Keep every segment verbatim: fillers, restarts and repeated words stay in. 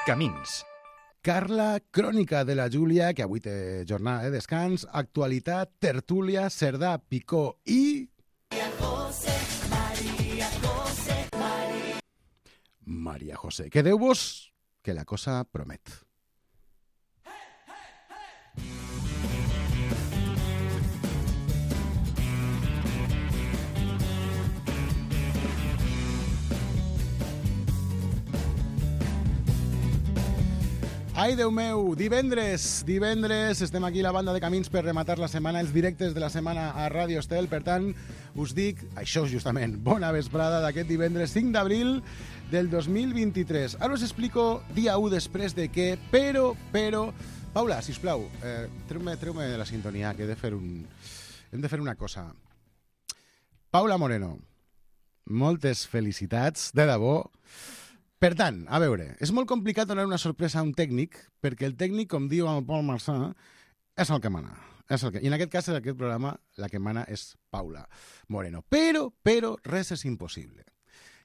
Camins. Carla, crònica de la Júlia, que avui té jornada de descans, actualitat, tertúlia, Cerdà, Picó i... Maria José, Maria José, Maria... Maria José. Quedeu-vos, que la cosa promet. Ai, Déu meu, divendres, divendres, estem aquí la banda de Camins per rematar la setmana, els directes de la setmana a Ràdio Estel, per tant, us dic, això justament, bona vesprada d'aquest divendres cinc d'abril del dos mil vint-i-tres. Ara us explico dia u després de què, però, però... Paula, sisplau, eh, treu-me, treu-me de la sintonia, que he de fer un... hem de fer una cosa. Paula Moreno, moltes felicitats, de debò. Per tant, a veure, és molt complicat donar una sorpresa a un tècnic, perquè el tècnic, com diu el Pol Marçà, és el que mana. És el que... I en aquest cas, en aquest programa, la que mana és Paula Moreno. Però, però, res és impossible.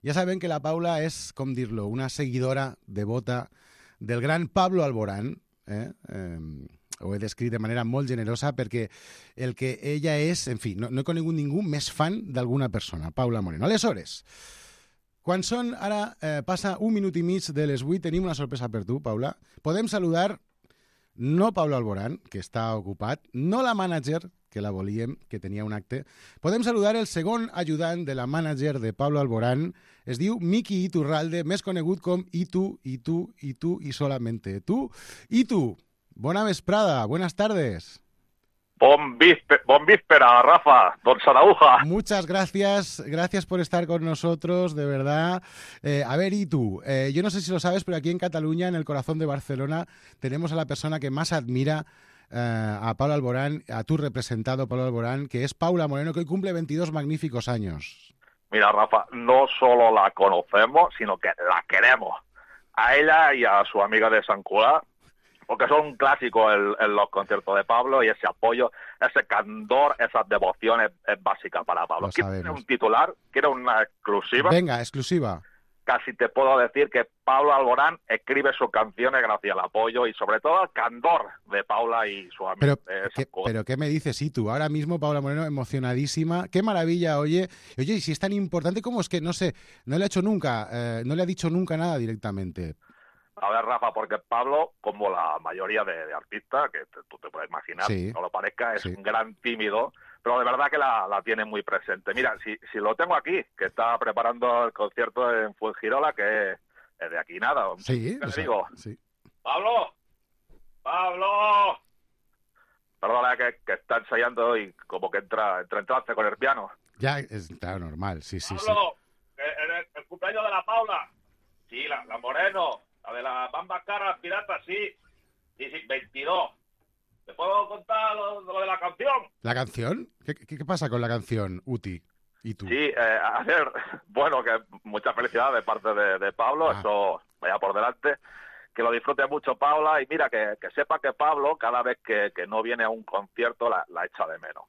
Ja sabem que la Paula és, com dir-lo, una seguidora devota del gran Pablo Alborán, eh? eh ho he descrit de manera molt generosa, perquè el que ella és, en fi, no, no he conegut ningú més fan d'alguna persona, Paula Moreno. Aleshores... Quan són, ara eh, passa un minut i mig de les vuit, tenim una sorpresa per tu, Paula. Podem saludar, no Pablo Alborán, que està ocupat, no la mànager, que la volíem, que tenia un acte. Podem saludar el segon ajudant de la mànager de Pablo Alborán. Es diu Miki Iturralde, més conegut com Itu, Itu, Itu y solamente tu. Itu, bona vesprada, buenas tardes. Bon, vísper, bon víspera, Rafa, don Sarauja. Muchas gracias, gracias por estar con nosotros, de verdad. Eh, a ver, y tú, eh, yo no sé si lo sabes, pero aquí en Cataluña, en el corazón de Barcelona, tenemos a la persona que más admira eh, a Pablo Alborán, a tu representado, Pablo Alborán, que es Paula Moreno, que hoy cumple veintidós magníficos años. Mira, Rafa, no solo la conocemos, sino que la queremos. A ella y a su amiga de San Cugat, porque son un clásico en, en los conciertos de Pablo, y ese apoyo, ese candor, esas devociones es básica para Pablo. ¿Quieres un titular? ¿Quieres una exclusiva? Venga, exclusiva. Casi te puedo decir que Pablo Alborán escribe sus canciones gracias al apoyo y sobre todo al candor de Paula y su amigo. Pero, ¿qué, pero ¿qué me dices, y tú? Ahora mismo Paula Moreno emocionadísima. Qué maravilla, oye. Oye, y si es tan importante, ¿cómo es que, no sé, no le ha hecho nunca, eh, no le ha dicho nunca nada directamente? A ver, Rafa, porque Pablo, como la mayoría de, de artistas, que te, tú te puedes imaginar, sí, no lo parezca, es sí. un gran tímido, pero de verdad que la, la tiene muy presente. Mira, si, si lo tengo aquí, que está preparando el concierto en Fuengirola, que es, es de aquí nada. Sí, ¿Qué o le sea, digo? Sí. ¡Pablo! ¡Pablo! Perdona, que, que está ensayando y como que entra, entra en trance con el piano. Ya, es claro, normal, sí, sí, ¡Pablo! Sí. El, el, el cumpleaños de la Paula. Sí, la, la Moreno. La de la Bamba Cara Pirata, sí. Sí, sí, veintidós. ¿Te puedo contar lo, lo de la canción? ¿La canción? ¿Qué, qué, qué pasa con la canción, Uti? ¿Y tú? Sí, eh, a ver, bueno, que mucha felicidad de parte de, de Pablo, ah. Eso vaya por delante. Que lo disfrute mucho Paula y mira, que, que sepa que Pablo, cada vez que, que no viene a un concierto, la, la echa de menos.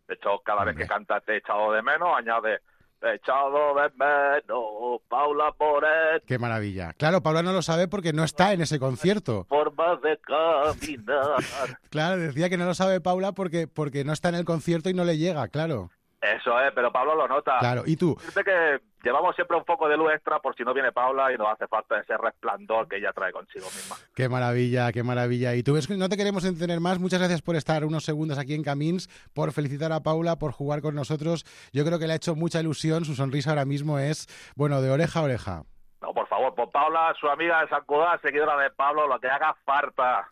De hecho, cada Hombre. vez que canta Te he echado de menos, añade... Echado de menos, Paula Moreno. Qué maravilla. Claro, Paula no lo sabe porque no está en ese concierto. Formas de caminar. Claro, decía que no lo sabe Paula porque, porque no está en el concierto y no le llega, claro. Eso es, pero Pablo lo nota. Claro, ¿y tú? Fíjate que llevamos siempre un foco de luz extra por si no viene Paula y nos hace falta ese resplandor que ella trae consigo misma. Qué maravilla, qué maravilla. Y tú ves que no te queremos entretener más. Muchas gracias por estar unos segundos aquí en Camins, por felicitar a Paula, por jugar con nosotros. Yo creo que le ha hecho mucha ilusión. Su sonrisa ahora mismo es, bueno, de oreja a oreja. No, por favor, por Paula, su amiga de San Cugat, seguidora de Pablo, lo que haga falta.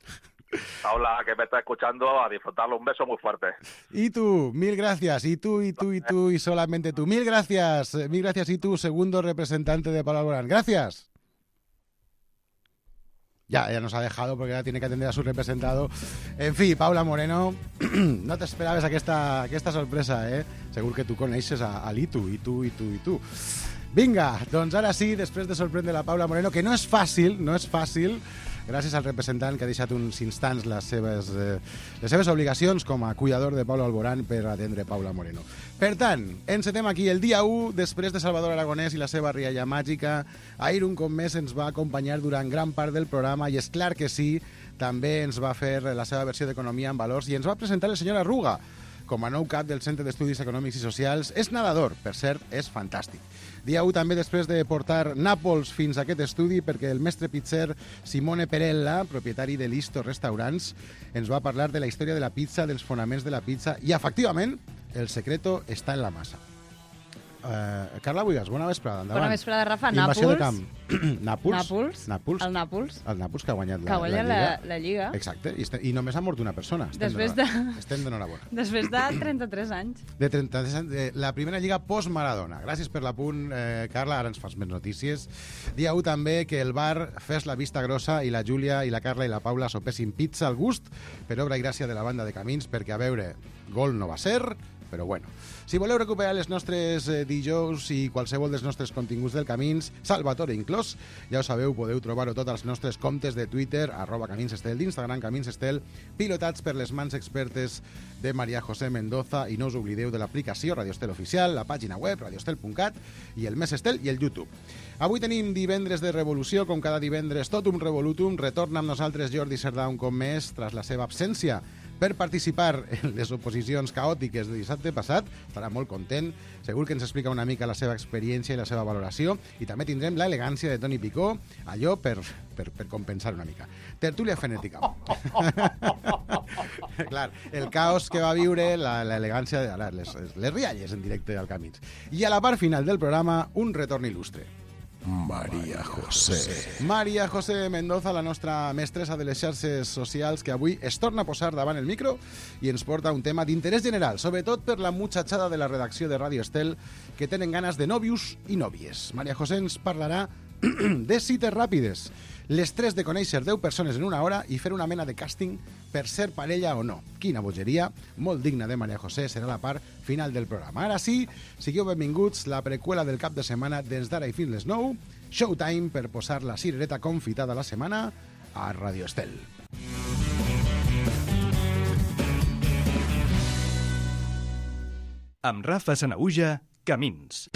Paula, que me está escuchando, a disfrutarlo. Un beso muy fuerte. Y tú, mil gracias. Y tú, y tú, y tú, y solamente tú. Mil gracias. Mil gracias, y tú, segundo representante de Pablo Alborán. Gracias. Ya, ya nos ha dejado porque ya tiene que atender a su representado. En fi, Paula Moreno, no t'esperaves aquesta, aquesta sorpresa, eh? Segur que tu coneixes a, a l'Itu, i tu, i tu, i tu. Vinga, doncs ara sí, després de sorprendre la Paula Moreno, que no és fàcil, no és fàcil, gràcies al representant que ha deixat uns instants les seves, eh, les seves obligacions com a cuidador de Pablo Alborán per atendre Paula Moreno. Per tant, encetem aquí el dia u, després de Salvador Aragonès i la seva rialla màgica. Ahir un cop més ens va acompanyar durant gran part del programa i és clar que sí, també ens va fer la seva versió d'Economia en Valors i ens va presentar el senyor Arruga com a nou cap del Centre d'Estudis Econòmics i Socials. És nedador, per cert, és fantàstic. Dia u també després de portar Nàpols fins a aquest estudi perquè el mestre pizzer Simone Perella, propietari de Listo Restaurants, ens va parlar de la història de la pizza, dels fonaments de la pizza i, efectivament, el secreto està en la massa. Uh, Carla Buigas, bona vesprada, endavant. Bona vesprada, Rafa. Invasió Nàpols. de camp. Nàpols? Nàpols. Nàpols. El Nàpols. El Nàpols que ha guanyat Que la, ha guanyat la, la, Lliga. la Lliga. Exacte, i, este, i només ha mort una persona. Estem Després d'enhora- de- Estem d'enhorabona. Després de trenta-tres anys. De trenta-tres anys, eh, la primera lliga post-Maradona. Gràcies per l'apunt, eh, Carla, ara ens fas més notícies. Dia u també que el bar fes la vista grossa i la Júlia i la Carla i la Paula sopessin pizza al gust per obra i gràcia de la banda de Camins, perquè, a veure, gol no va ser, però bueno. Si voleu recuperar les nostres eh, dijous i qualsevol dels nostres continguts del Camins, Salvatore inclòs, ja ho sabeu, podeu trobar-ho tots als nostres comptes de Twitter, arroba Camins Estel, d'Instagram Camins Estel, pilotats per les mans expertes de María José Mendoza, i no us oblideu de l'aplicació Radio Estel Oficial, la pàgina web radioestel punt cat i el Més Estel i el YouTube. Avui tenim divendres de revolució, com cada divendres, Totum Revolutum. Retorna amb nosaltres Jordi Cerdà un cop més, tras la seva absència, per participar en les oposicions caòtiques de dissabte passat. Estarà molt content, segur que ens explica una mica la seva experiència i la seva valoració, i també tindrem l'elegància de Toni Picó, allò per, per, per compensar una mica. Tertúlia fenètica. Clar, el caos que va viure, l'elegància, les, les rialles en directe al Camins. I a la part final del programa, un retorn il·lustre. María José. María José Mendoza, la nostra mestressa de les xarxes socials, que avui es torna a posar davant el micro i ens porta un tema d'interès general, sobretot per la muchachada de la redacció de Radio Estel, que tenen ganes de nòvios i nòvies. María José ens parlarà de cites ràpides, l'estrès de conèixer deu persones en una hora i fer una mena de càsting per ser parella o no. Quina bogeria, molt digna de María José, serà la part final del programa. Ara sí, sigueu benvinguts, la preqüela del cap de setmana des d'ara i fins les nou, Showtime per posar la cirereta confitada la setmana a Radio Estel. Amb Rafa Sanaüja, Camins.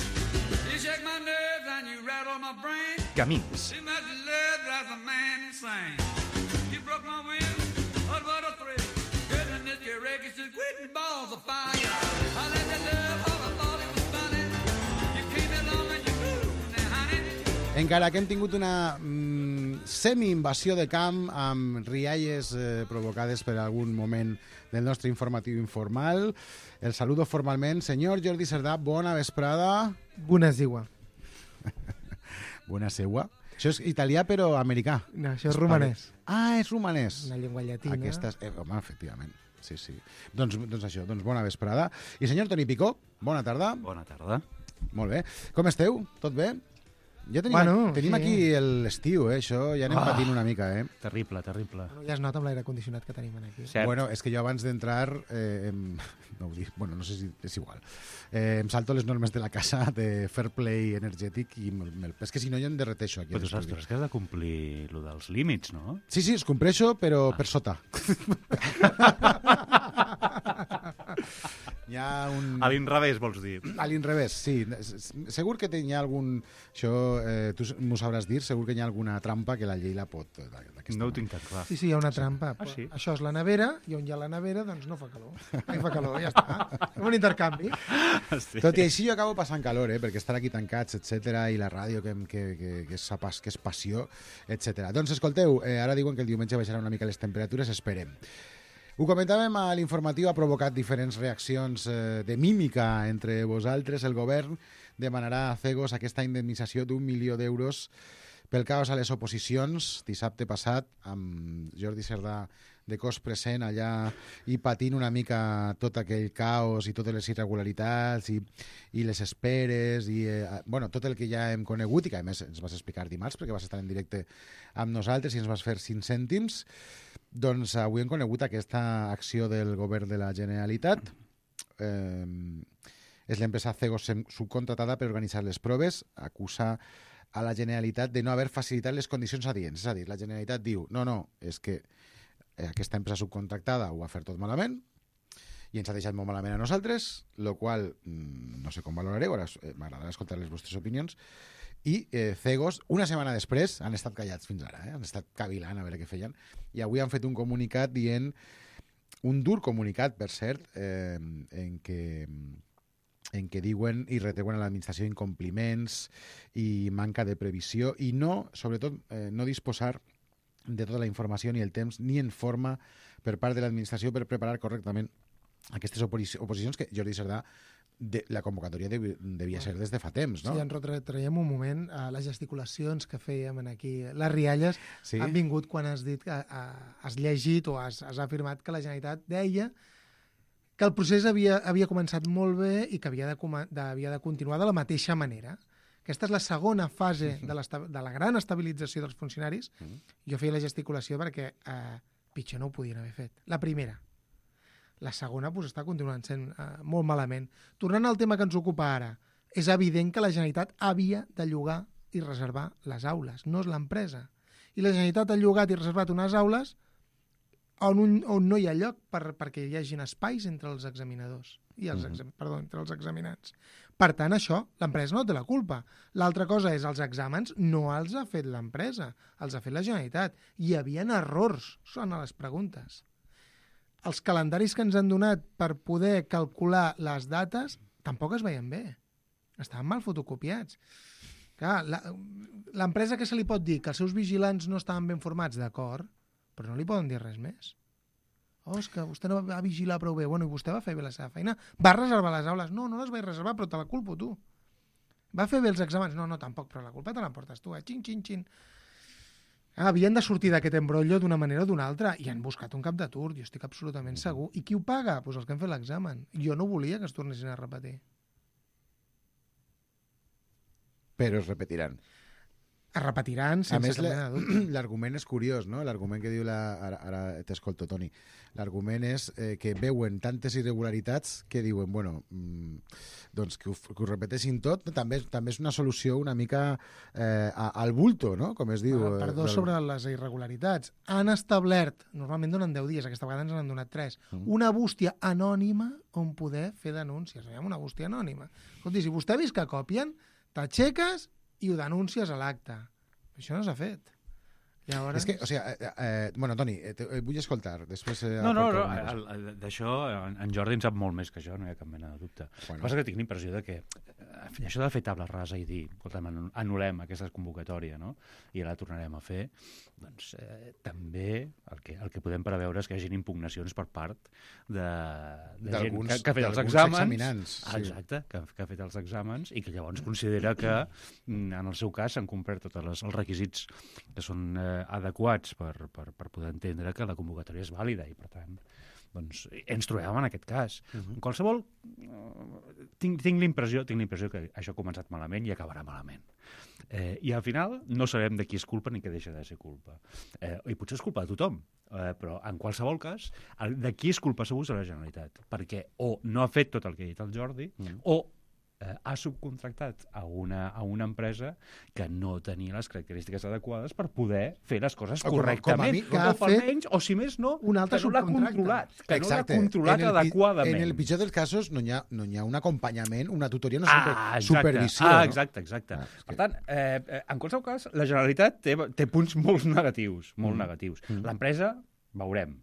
You shake my nerves and you rattle my brain. Camins. Too much love drives a man insane. You broke my will, what what a thrill. Goodness, this your wreck is just quitting balls of fire. I let you love all I thought it was funny. You came along and you moved now, honey. Encara que hem tingut una mm, semi-invasió de camp amb rialles eh, provocades per algun moment del nostre informatiu informal, el saludo formalment. Senyor Jordi Cerdà, bona vesprada. Bună ziua. Bona seua. Això és italià però americà. No, això és romanès. Ah, és romanès. Una llengua llatina. Aquesta és... Eh, home, efectivament. Sí, sí. Doncs, doncs això, doncs bona vesprada. I senyor Toni Picó, bona tarda. Bona tarda. Molt bé. Com esteu? Tot bé? Ja tenim, Bueno, tenim sí. aquí l'estiu, eh? Això ja anem Ah. patint una mica, eh? Terrible, terrible. Bueno, ja es nota amb l'aire condicionat que tenim aquí. Cert. Bueno, és que jo abans d'entrar, eh, em, no ho dic, bueno, no sé si és igual, eh, em salto les normes de la casa de fair play energètic i me'l, me'l, és que si no jo em derreteixo aquí. Però a tu saps, tu l'estudi. saps que has de complir lo dels límits, no? Sí, sí, es compleixo, però Ah. per sota. Hi ha un... A l'inrevés, vols dir? A l'inrevés, sí. Segur que hi ha algun... Això eh, tu m'ho sabràs dir, segur que hi ha alguna trampa que la llei la pot... d'aquesta No ho manera. tinc tan clar. Sí, sí, hi ha una trampa. Ah, sí? Això és la nevera, i on hi ha la nevera, doncs no fa calor. Ai, fa calor, ja està. Fem un intercanvi. Sí. Tot i així jo acabo passant calor, eh? Perquè estar aquí tancats, etcètera, i la ràdio que, que, que, que, és, pas, que és passió, etcètera. Doncs escolteu, eh, ara diuen que el diumenge baixaran una mica les temperatures, esperem. Ho comentàvem a l'informatiu, ha provocat diferents reaccions eh, de mímica entre vosaltres. El govern demanarà a Cegos aquesta indemnització d'un milió d'euros pel caos a les oposicions. Dissabte passat, amb Jordi Cerdà de cos present allà i patint una mica tot aquell caos i totes les irregularitats i, i les esperes i eh, bueno, tot el que ja hem conegut i que a més ens vas explicar dimarts perquè vas estar en directe amb nosaltres i ens vas fer cinc cèntims. Doncs avui hem conegut aquesta acció del govern de la Generalitat. Eh, és l'empresa Cegos subcontratada per organitzar les proves, acusa a la Generalitat de no haver facilitat les condicions adients. És a dir, la Generalitat diu, no, no, és que aquesta empresa subcontractada ho ha fet tot malament i ens ha deixat molt malament a nosaltres, lo qual no sé com valorareu, ara m'agradarà escoltar les vostres opinions, i eh, Cegos, una setmana després, han estat callats fins ara, eh? Han estat cavilant a veure què feien, i avui han fet un comunicat dient, un dur comunicat, per cert, eh, en què en què diuen i retreuen a l'administració incompliments i manca de previsió i no, sobretot, eh, no disposar de tota la informació ni el temps ni en forma per part de l'administració per preparar correctament aquestes oposicions que Jordi Cerdà de, la convocatòria de, devia ser des de fa temps, no? Sí, ens retraiem un moment a les gesticulacions que fèiem aquí. Les rialles sí? han vingut quan has dit que has llegit o has, has afirmat que la Generalitat deia que el procés havia, havia començat molt bé i que havia de, de, havia de continuar de la mateixa manera. Aquesta és la segona fase de, de la gran estabilització dels funcionaris. Jo feia la gesticulació perquè eh, pitjor no ho podien haver fet. La primera. La segona pues, està continuant sent eh, molt malament. Tornant al tema que ens ocupa ara, és evident que la Generalitat havia de llogar i reservar les aules, no és l'empresa. I la Generalitat ha llogat i reservat unes aules on, un, on no hi ha lloc per, perquè hi hagin espais entre els examinadors i els, exam, perdó, entre els examinants. Per tant, això, l'empresa no té la culpa. L'altra cosa és, els exàmens no els ha fet l'empresa, els ha fet la Generalitat. Hi havia errors, són a les preguntes. Els calendaris que ens han donat per poder calcular les dates tampoc es veien bé. Estaven mal fotocopiats. Clar, l'empresa que se li pot dir que els seus vigilants no estaven ben formats, d'acord, però no li poden dir res més. Oh, és que vostè no va vigilar prou bé. Bueno, i vostè va fer bé la seva feina. Va reservar les aules? No, no les vaig reservar, però te la culpo tu. Va fer bé els exàmens? No, no, tampoc, però la culpa te l'emportes tu, eh? Xin, xin, xin. Ah, havien de sortir d'aquest embrollo d'una manera o d'una altra i han buscat un cap de turc, jo estic absolutament segur. I qui ho paga? Doncs pues els que han fet l'examen. Jo no volia que es tornessin a repetir. Però es repetiran. Es repetiran sense cap mena de dubte. L'argument és curiós, no? L'argument que diu la... Ara, ara t'escolto, Toni. L'argument és eh, que veuen tantes irregularitats que diuen, bueno, mmm, doncs que ho, que ho repeteixin tot, també, també és una solució una mica eh, al bulto, no? Com es diu. Ah, perdó, del... sobre les irregularitats. Han establert, normalment donen deu dies, aquesta vegada ens n'han donat tres, mm. una bústia anònima on poder fer denúncies. Veiem una bústia anònima. Escolti, si vostè ha vist que copien, t'aixeques i ho denúncies a l'acte. Això no s'ha fet. Llavors... És que, o sigui, eh, eh, bueno, Toni, eh, te, eh, vull escoltar. Després, eh, no, no, no d'això en, en Jordi en sap molt més que jo, no hi ha cap mena de dubte. Bueno. El que passa que tinc l'impressió de que eh, això de fer taula rasa i dir, escolta'm, anul·lem aquesta convocatòria, no? I la tornarem a fer, doncs eh, també el que, el que podem preveure és que hi hagi impugnacions per part de, de gent que, que ha fet els exàmens. Ah, exacte, que, que ha fet els exàmens i que llavors considera que en el seu cas s'han complert tots els, els requisits que són eh, adequats per, per, per poder entendre que la convocatòria és vàlida i, per tant, doncs, ens trobem en aquest cas. Uh-huh. En qualsevol, uh, tinc, tinc l'impressió tinc l'impressió que això ha començat malament i acabarà malament. Eh, I al final no sabem de qui és culpa ni què deixa de ser culpa. Eh, I potser és culpa de tothom, eh, però en qualsevol cas, el, de qui és culpa segur és la Generalitat, perquè o no ha fet tot el que ha dit el Jordi, uh-huh. o Eh, ha subcontractat a una, a una empresa que no tenia les característiques adequades per poder fer les coses o correctament. Com a mi, o almenys, o si més no, un altre que no l'ha controlat, que exacte. no l'ha controlat en el, adequadament. En el pitjor dels casos no hi ha, no hi ha un acompanyament, una tutoria, una ah, super, supervisió. Ah, no? exacte, exacte. Ah, que... Per tant, eh, en qualsevol cas, la Generalitat té, té punts molt negatius, molt mm. negatius. Mm. L'empresa, veurem,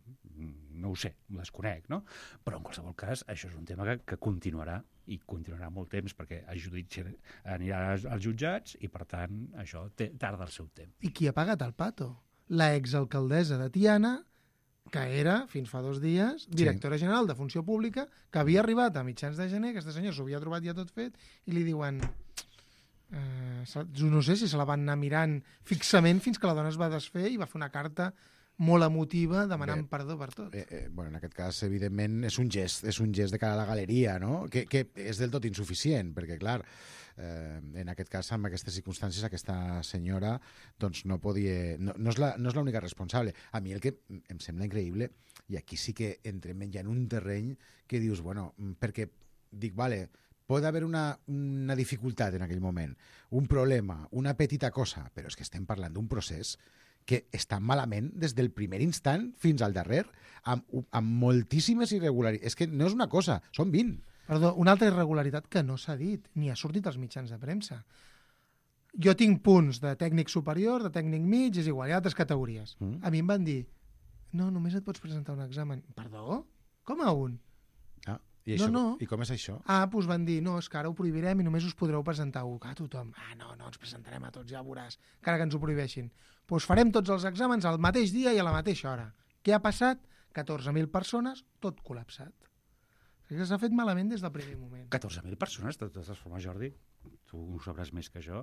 no ho sé, ho desconec, no? Però en qualsevol cas, això és un tema que, que continuarà i continuarà molt temps perquè el judici anirà als jutjats i, per tant, això té, tarda el seu temps. I qui ha pagat el pato? La exalcaldessa de Tiana, que era, fins fa dos dies, directora sí. general de Funció Pública, que havia arribat a mitjans de gener, aquesta senyora s'ho havia trobat ja tot fet, i li diuen... Eh, no sé si se la van anar mirant fixament fins que la dona es va desfer i va fer una carta molt emotiva, demanant Bé, perdó per tot. Eh, eh, bueno, en aquest cas, evidentment, és un gest, és un gest de cara a la galeria, no? Que, que és del tot insuficient, perquè, clar, eh, en aquest cas, amb aquestes circumstàncies, aquesta senyora doncs no podia... No, no és la, no és l'única responsable. A mi el que em sembla increïble, i aquí sí que entrem ja en un terreny que dius, bueno, perquè dic, vale, pot haver una, una dificultat en aquell moment, un problema, una petita cosa, però és que estem parlant d'un procés que està malament des del primer instant fins al darrer, amb, amb moltíssimes irregularitats. És que no és una cosa, són vint. Perdó, una altra irregularitat que no s'ha dit, ni ha sortit als mitjans de premsa. Jo tinc punts de tècnic superior, de tècnic mig, és igual, hi ha altres categories. Mm. A mi em van dir, no, només et pots presentar un examen. Perdó? Com a un? Ah, i, això, no, no. I com és això? Ah, doncs van dir, no, és que ara ho prohibirem i només us podreu presentar un. Ah, tothom, ah, no, no, ens presentarem a tots, ja ho veuràs, encara que ens ho prohibeixin. Doncs farem tots els exàmens al mateix dia i a la mateixa hora. Què ha passat? catorze mil persones, tot col·lapsat. Que s'ha fet malament des del primer moment. catorze mil persones, de totes formes, Jordi, tu ho sabràs més que jo.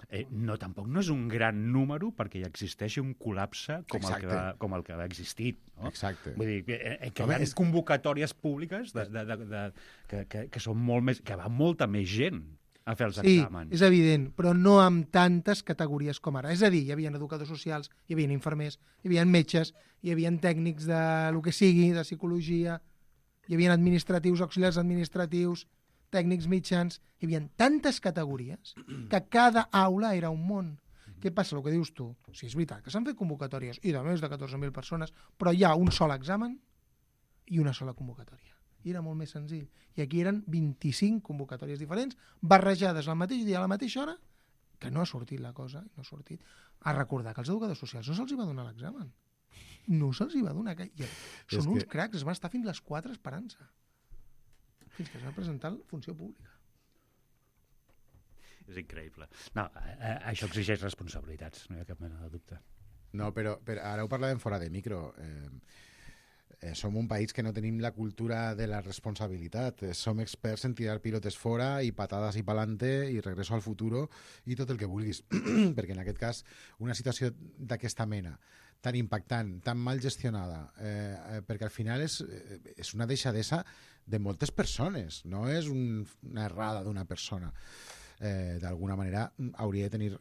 Eh, no, tampoc no és un gran número perquè hi existeixi un col·lapse com, el que, va, com el que va existir. No? Exacte. Vull dir, que, eh, que Home, hi ha és... convocatòries públiques de, de, de, de, que, que, que són molt més... que va molta més gent a fer els sí, exàmens. És evident, però no amb tantes categories com ara. És a dir, hi havia educadors socials, hi havia infermers, hi havia metges, hi havia tècnics de lo que sigui, de psicologia, hi havia administratius, auxiliars administratius, tècnics mitjans, hi havia tantes categories que cada aula era un món. Què passa, el que dius tu? Sí, és veritat, que s'han fet convocatòries, i de més de catorze mil persones, però hi ha un sol examen i una sola convocatòria. I era molt més senzill. I aquí eren vint-i-cinc convocatòries diferents, barrejades al mateix dia, a la mateixa hora, que no ha sortit la cosa, no ha sortit. A recordar que als educadors socials no se'ls va donar l'examen. No se'ls va donar. Que... Són uns que... cracs, es van estar fins les quatre esperant-se. Fins que es va presentar la funció pública. És increïble. No, eh, això exigeix responsabilitats, no hi ha cap mena de dubte. No, però, però ara ho parlàvem fora de micro. Eh, eh, som un país que no tenim la cultura de la responsabilitat. Eh, som experts en tirar pilotes fora i patades i palante i regreso al futuro i tot el que vulguis. Perquè en aquest cas una situació d'aquesta mena tan impactant, tan mal gestionada, eh, eh, perquè al final és, eh, és una deixadesa de moltes persones, no és un, una errada d'una persona. Eh, d'alguna manera hauria de tenir,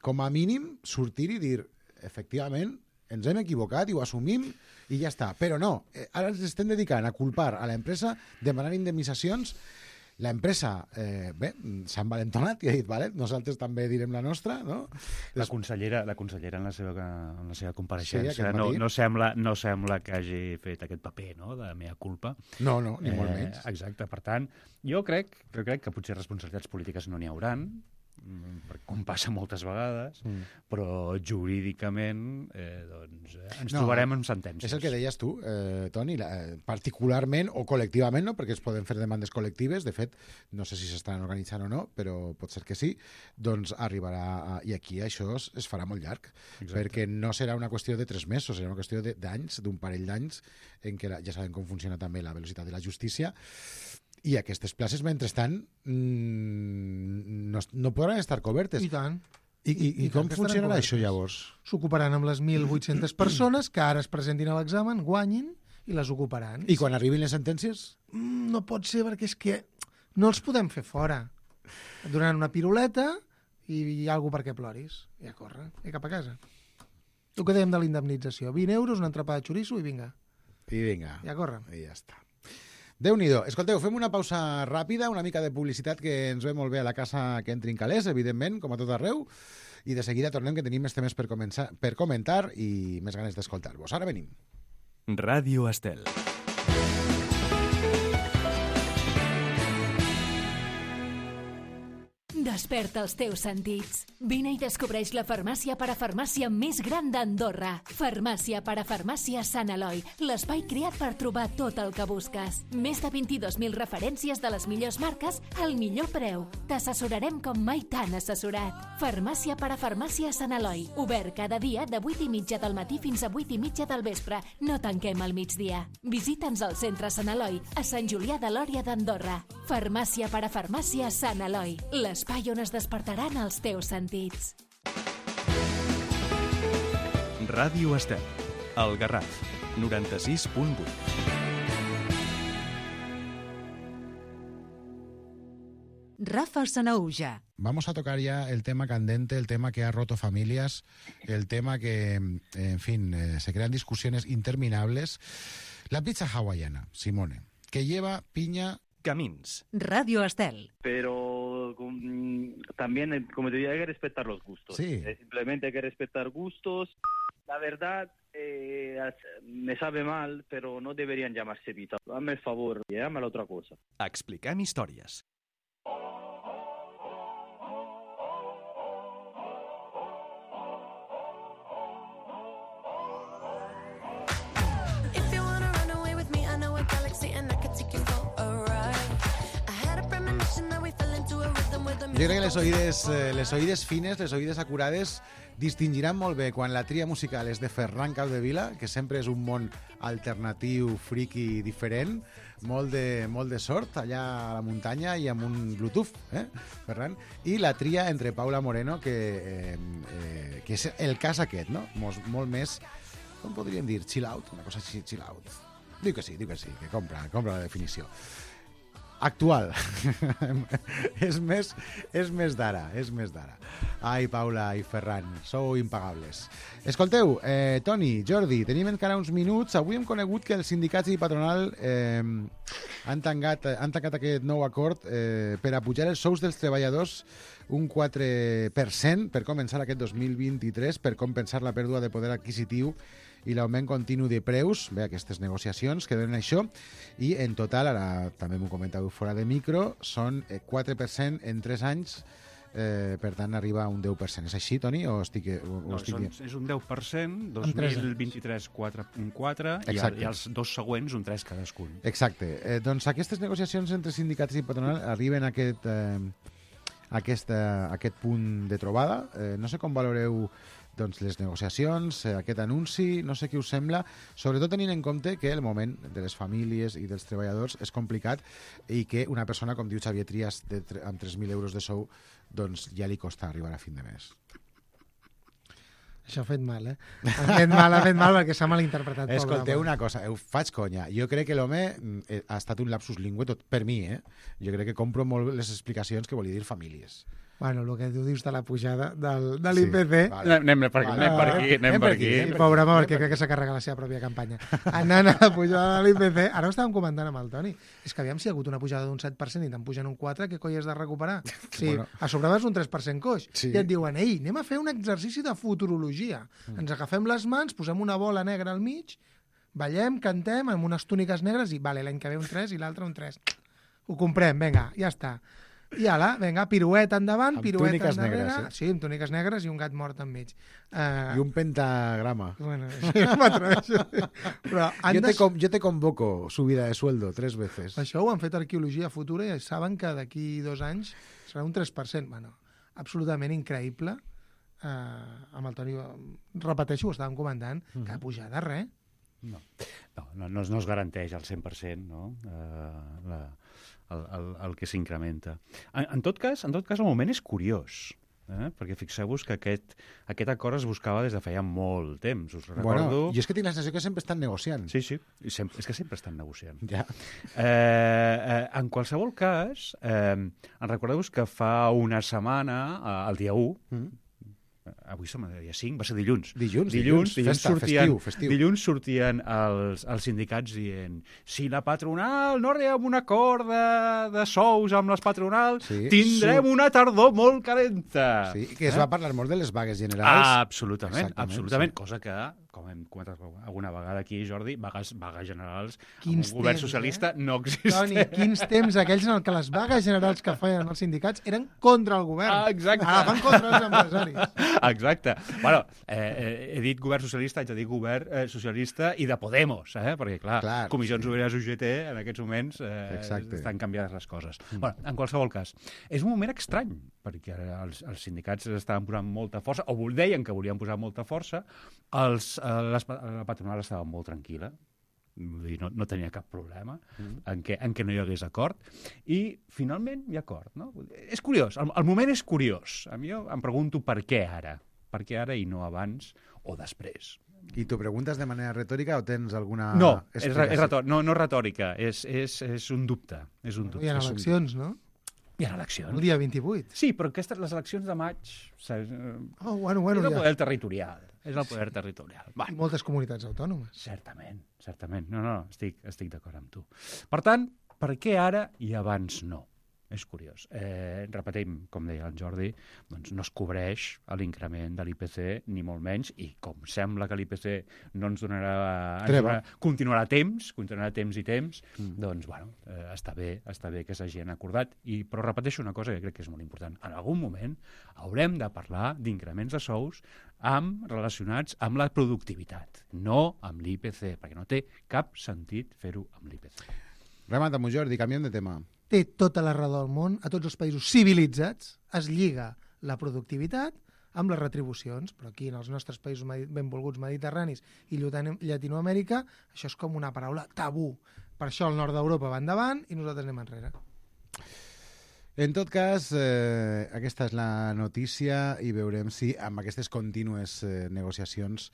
com a mínim, sortir i dir, efectivament, ens hem equivocat i ho assumim i ja està. Però no, eh, ara ens estem dedicant a culpar a l'empresa, demanar indemnitzacions. L'empresa, eh, bé, s'ha envalentonat i ha dit, vale, nosaltres també direm la nostra, no? La consellera, la consellera en la seva, en la seva compareixença sí, no, no, sembla, no sembla que hagi fet aquest paper, no?, de mea culpa. No, no, ni eh, molt menys. Exacte, per tant, jo crec, jo crec que potser responsabilitats polítiques no n'hi hauran, com passa moltes vegades, mm. però jurídicament eh, doncs, eh, ens no, trobarem en sentències. És el que deies tu, eh, Toni, la, particularment o col·lectivament, no? Perquè es poden fer demandes col·lectives, de fet, no sé si s'estan organitzant o no, però pot ser que sí, doncs arribarà, a, i aquí això es, es farà molt llarg, exacte, perquè no serà una qüestió de tres mesos, serà una qüestió d'anys, d'un parell d'anys, en què la, ja sabem com funciona també la velocitat de la justícia, i aquestes places, mentrestant, no, no podran estar cobertes. I tant. I, i, i, I com funcionarà això, llavors? S'ocuparan amb les mil vuit-centes persones que ara es presentin a l'examen, guanyin, i les ocuparan. I quan arribin les sentències? Mm, no pot ser, perquè és que no els podem fer fora. Et donaran una piruleta i hi ha algú perquè ploris. I a córrer, i cap a casa. El que dèiem de la indemnització. vint euros, una entrepà de xoriço i vinga. I vinga. I a córrer. I ja està. Déu-n'hi-do. Escolteu, fem una pausa ràpida, una mica de publicitat que ens ve molt bé a la casa que entrin calés, evidentment, com a tot arreu, i de seguida tornem, que tenim més temes per, començar, per comentar i més ganes d'escoltar-vos. Ara venim. Ràdio Estel. Desperta els teus sentits. Vine i descobreix la farmàcia parafarmàcia més gran d'Andorra. Farmàcia parafarmàcia Sant Eloi, l'espai creat per trobar tot el que busques. Més de vint-i-dos mil referències de les millors marques al millor preu. T'assessorarem com mai t'han assessorat. Farmàcia parafarmàcia Sant Eloi, obert cada dia de vuit i mitja del matí fins a vuit i mitja del vespre. No tanquem al migdia. Visita'ns al centre Sant Eloi, a Sant Julià de Lòria d'Andorra. Farmàcia parafarmàcia Sant Eloi, l'espai on es despertaran els teus sentits. Ràdio Estel, el Garraf, noranta-sis punt vuit. Rafa Sanaúja. Vamos a tocar ya el tema candente, el tema que ha roto familias, el tema que, en fin, eh, se crean discusiones interminables. La pizza hawaiana, Simone, que lleva piña Camins. Radio Estel. Pero um, también, eh, como te digo, hay que respetar los gustos. Sí. Eh, simplemente hay que respetar gustos. La verdad, eh, me sabe mal, pero no deberían llamarse Vita. Dame el favor, llámala otra cosa. Explicam històries. If you wanna run away with me, I know a galaxy and I could take you for a ride. I had a premonition that we fell into a rhythm with the Jo crec que les oïdes, eh, les oïdes fines, les oïdes acurades, distingiran molt bé quan la tria musical és de Ferran Capdevila, que sempre és un món alternatiu, friki, diferent, molt de, molt de sort allà a la muntanya i amb un Bluetooth, eh, Ferran, i la tria entre Paula Moreno, que, eh, eh, que és el cas aquest, no? Molt, molt més, com podríem dir, chill out, una cosa així, chill out. Diu que sí, diu que sí, que compra, compra la definició. Actual. és més, és més d'ara, és més d'ara. Ai, Paula i Ferran, sou impagables. Escolteu, eh, Toni, Jordi, tenim encara uns minuts. Avui hem conegut que els sindicats i patronal eh, han, tancat, han tancat aquest nou acord eh, per a pujar els sous dels treballadors un quatre per cent per començar aquest dos mil vint-i-tres, per compensar la pèrdua de poder adquisitiu i l'augment continu de preus, bé, aquestes negociacions que donen això, i en total, ara també m'ho comentàveu fora de micro, són quatre per cent en tres anys, eh, per tant arriba a un deu per cent. És així, Toni, o estic... O, o no, estic són, dient? és un deu per cent, dos mil vint-i-tres quatre coma quatre, i, i els dos següents un tres cadascun. Exacte. Eh, doncs aquestes negociacions entre sindicats i patronal arriben a aquest, eh, a aquest, a aquest punt de trobada. Eh, no sé com valoreu doncs, les negociacions, eh, aquest anunci, no sé què us sembla, sobretot tenint en compte que el moment de les famílies i dels treballadors és complicat i que una persona, com diu Xavier Trias, de, amb tres mil euros de sou, doncs ja li costa arribar a fin de mes. Això ha fet mal, eh? Ha fet mal, ha fet mal perquè s'ha malinterpretat. Escolteu una cosa, eu faig conya. Jo crec que l'home ha estat un lapsus lingüe tot per mi, eh? Jo crec que compro molt les explicacions que volia dir famílies. Bueno, el que tu dius de la pujada del, de l'I P C... Sí, vale. Anem per aquí, vale, anem per aquí. Anem, anem per aquí. Sí, pobre home, perquè crec que s'ha carregat la seva pròpia campanya. Anant a la pujada de l'I P C, ara ho estàvem comentant amb el Toni, és que aviam si hi ha hagut una pujada d'un set per cent i te'n pugen un quatre, què coi has de recuperar? Sí, bueno. A sobre vas un tres per cent coix. Sí. I et diuen, ei, anem a fer un exercici de futurologia. Mm. Ens agafem les mans, posem una bola negra al mig, ballem, cantem, amb unes túniques negres i, vale, l'any que ve un tres i l'altre un tres. Ho comprem, vinga, ja està. I ala, vinga, pirueta endavant, amb pirueta endarrere. Negres, eh? Sí, amb túniques negres i un gat mort enmig. Uh... I un pentagrama. Bueno, sí, no m'atreveixo. Però jo, te com, jo te convoco subida de sueldo tres veces. Això ho han fet arqueologia futura i saben que d'aquí dos anys serà un tres per cent. Bueno, absolutament increïble. Uh, amb el Toni, repeteixo, ho estàvem comentant, mm-hmm. que pujada res. No, no, no, no es garanteix al cent per cent, no? Uh, la... El, el, el que s'incrementa. En, en, tot cas, en tot cas, el moment és curiós, eh? Perquè fixeu-vos que aquest, aquest acord es buscava des de feia molt temps. Us recordo... Bueno, jo és que tinc la sensació que sempre estan negociant. Sí, sí, I sempre, és que sempre estan negociant. Ja. Eh, eh, en qualsevol cas, eh, en recordeu-vos que fa una setmana, eh, el dia u, mm. avui som a dia cinc, va ser dilluns. Dilluns, dilluns, dilluns, dilluns festa, sortien, festiu, festiu. Dilluns sortien els, els sindicats dient si la patronal no arriba a un acord de, de sous amb les patronals, sí, tindrem sur... una tardor molt calenta. Sí, que es eh? va parlar molt de les vagues generals. Ah, absolutament, absolutament, sí. Cosa que, com hem comentat alguna vegada aquí, Jordi, vagues, vagues generals quins amb un govern temps, socialista eh? no existeix. Toni, quins temps aquells en què les vagues generals que feien els sindicats eren contra el govern. Ah, exacte. Ara fan contra els empresaris. Exacte. Bueno, eh, he dit govern socialista, haig de dir govern eh, socialista i de Podemos, eh? Perquè, clar, clar Comissions sí. Obreres U G T en aquests moments eh, estan canviades les coses. Mm. Bueno, en qualsevol cas, és un moment estrany, perquè els, els sindicats estaven posant molta força, o deien que volien posar molta força, els, eh, les, la patronal estava molt tranquil·la, no, no tenia cap problema mm. en, què, en què no hi hagués acord, i finalment hi ha acord. No? És curiós, el, el moment és curiós. A mi em pregunto per què ara, per què ara i no abans o després. I t'ho preguntes de manera retòrica o tens alguna no, és, és retòrica, no, no retòrica, és, és, és un dubte. És un dubte. Hi ha eleccions, no? Hi ha eleccions. El dia vint-i-vuit. Sí, però aquestes, les eleccions de maig... Oh, bueno, bueno, és el ja. poder territorial. És el poder territorial. I moltes comunitats autònomes. Certament, certament. No, no, estic, estic d'acord amb tu. Per tant, per què ara i abans no? És curiós. Eh, repetim, com deia el Jordi, doncs no es cobreix l'increment de l'I P C, ni molt menys, i com sembla que l'I P C no ens donarà... Ens donarà continuarà temps, continuarà temps i temps, mm. doncs, bueno, eh, està bé, està bé que s'hagin acordat. I, però repeteixo una cosa que crec que és molt important. En algun moment haurem de parlar d'increments de sous amb, relacionats amb la productivitat, no amb l'I P C, perquè no té cap sentit fer-ho amb l'I P C. Remata-m'ho, Jordi, canviem de tema. Té tota la raó del món, a tots els països civilitzats es lliga la productivitat amb les retribucions, però aquí en els nostres països benvolguts mediterranis i Llatinoamèrica això és com una paraula tabú. Per això el nord d'Europa va endavant i nosaltres anem enrere. En tot cas, eh, aquesta és la notícia i veurem si amb aquestes contínues eh, negociacions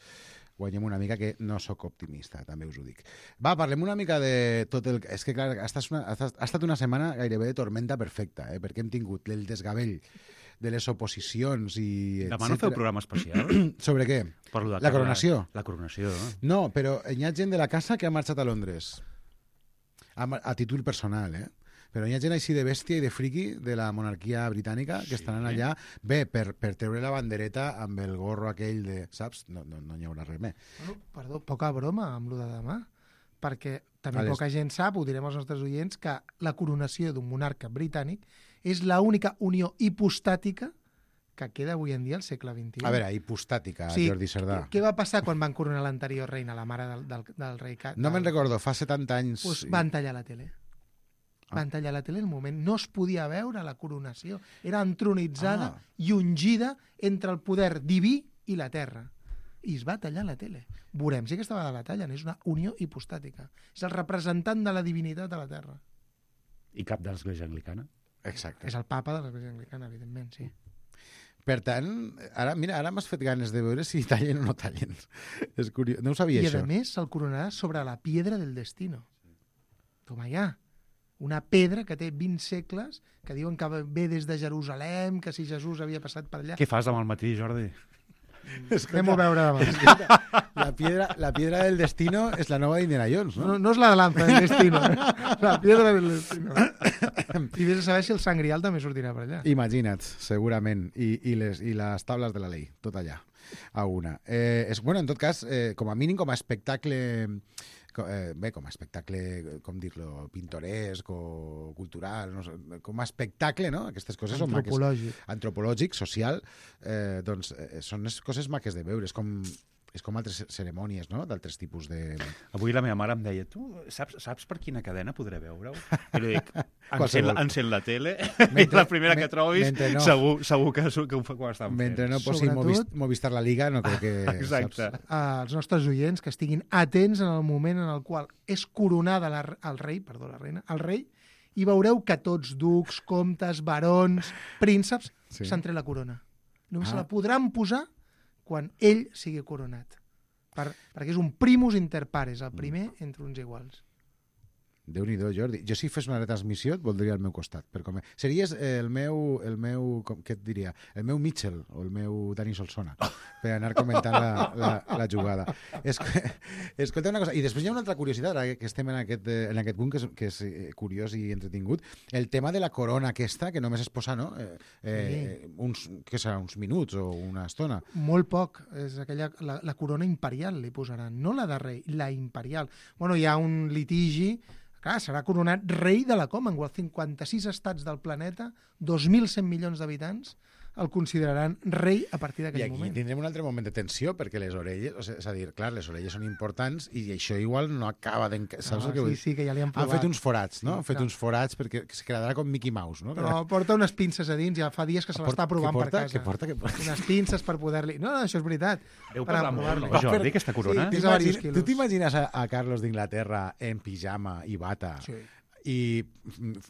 guanyem una mica, que no sóc optimista, també us ho dic. Va, parlem una mica de tot el... És que, clar, ha estat una, ha estat una setmana gairebé de tormenta perfecta, eh? Perquè hem tingut el desgavell de les oposicions i... Demà no feu programa especial? Sobre què? La coronació. La coronació, no? No, però hi ha gent de la casa que ha marxat a Londres. A, a títol personal, eh? Però hi ha gent així de bèstia i de friqui de la monarquia britànica que sí. estan allà, bé, per, per treure la bandereta amb el gorro aquell de... Saps? No, no, no hi haurà res més. Bueno, perdó, poca broma amb lo de demà, perquè també Vale. poca gent sap, ho direm als nostres oients, que la coronació d'un monarca britànic és l'única unió hipostàtica que queda avui en dia al segle vint-i-u. A veure, hipostàtica, sí, Jordi Cerdà. Què va passar quan van coronar l'anterior reina, la mare del, del, del rei? Del... No me'n recordo, fa setanta anys... Pues van tallar la tele. Van tallar la tele en el moment. No es podia veure la coronació. Era entronitzada ah. i ungida entre el poder diví i la terra. I es va tallar la tele. Veurem si aquesta vegada la tallen. És una unió hipostàtica. És el representant de la divinitat a la terra. I cap de l'Església Anglicana? Exacte. És el papa de l'Església Anglicana, evidentment, sí. Per tant, ara, mira, ara m'has fet ganes de veure si tallen o no tallen. És curiós. No ho sabia, I, això. I a més se'l coronarà sobre la piedra del destino. Toma ja. Una pedra que té vint segles, que diuen que ve des de Jerusalem, que si Jesús havia passat per allà. Què fas demà al matí, Jordi? Anem a veure demà. La piedra, la piedra del destino és la nova d'Indiana Jones, no? No, no és la de lanza del destino, eh? La piedra del destino. I vés a saber si el Sant Grial també sortirà per allà. Imagina't, segurament. I, i, les, i les taules de la llei, tot allà, a una. Eh, és, bueno, en tot cas, eh, com a mínim, com a espectacle... Eh, bé, com a espectacle, com dir-lo, pintoresc o cultural, no sé, com a espectacle, no? Aquestes coses són maques. Antropològic. Antropològic, social, eh, doncs eh, són les coses maques de veure. És com, és com altres cerimònies, no?, d'altres tipus de... Avui la meva mare em deia, tu saps, saps per quina cadena podré veure-ho? I li dic, encén, encén la tele, mentre, la primera que trobis, no, segur, segur que, que ho estan fent. Mentre no posi Sobretot, Movistar la Liga, no crec que... Exacte. Saps? Uh, els nostres oients que estiguin atents en el moment en el qual és coronada la, el rei, perdó, la reina, el rei, i veureu que tots ducs, comtes, barons, prínceps, sí. s'han tret la corona. Només ah. se la podran posar quan ell sigui coronat. Per, perquè és un primus inter pares, el primer entre uns iguals. Déu-n'hi-do, Jordi. Jo si fes una retransmissió et voldria al meu costat. Per com... Series el meu, el meu, com, què et diria? El meu Mitchell o el meu Dani Solsona per anar comentant la, la, la jugada. Es, escolta una cosa, i després hi ha una altra curiositat, ara que estem en aquest, en aquest punt que és, que és curiós i entretingut, el tema de la corona aquesta, que només es posa, no? Eh, eh, sí. uns, què serà, uns minuts o una estona? Molt poc. És aquella, la, la corona imperial li posaran, no la de rei, la imperial. Bueno, hi ha un litigi. Clar, serà coronat rei de la Commonwealth. cinquanta-sis estats del planeta, dos mil cent milions d'habitants, el consideraran rei a partir d'aquell moment. I aquí tindrem un altre moment de tensió, perquè les orelles, o sigui, és a dir, clar, les orelles són importants i això igual no acaba de... Saps no, el que sí, vull dir? Sí, que ja li han provat. Han fet uns forats, no? Sí, han fet clar. uns forats perquè es quedarà com Mickey Mouse, no? Però porta unes pinces a dins, ja fa dies que se l'està provant porta, per casa. Què porta? Què porta? Unes pinces per poder-li... No, no, això és veritat. Deu parlar molt, Jordi, aquesta corona? Sí, tu t'imagines a, a Carlos d'Inglaterra en pijama i bata? Sí. I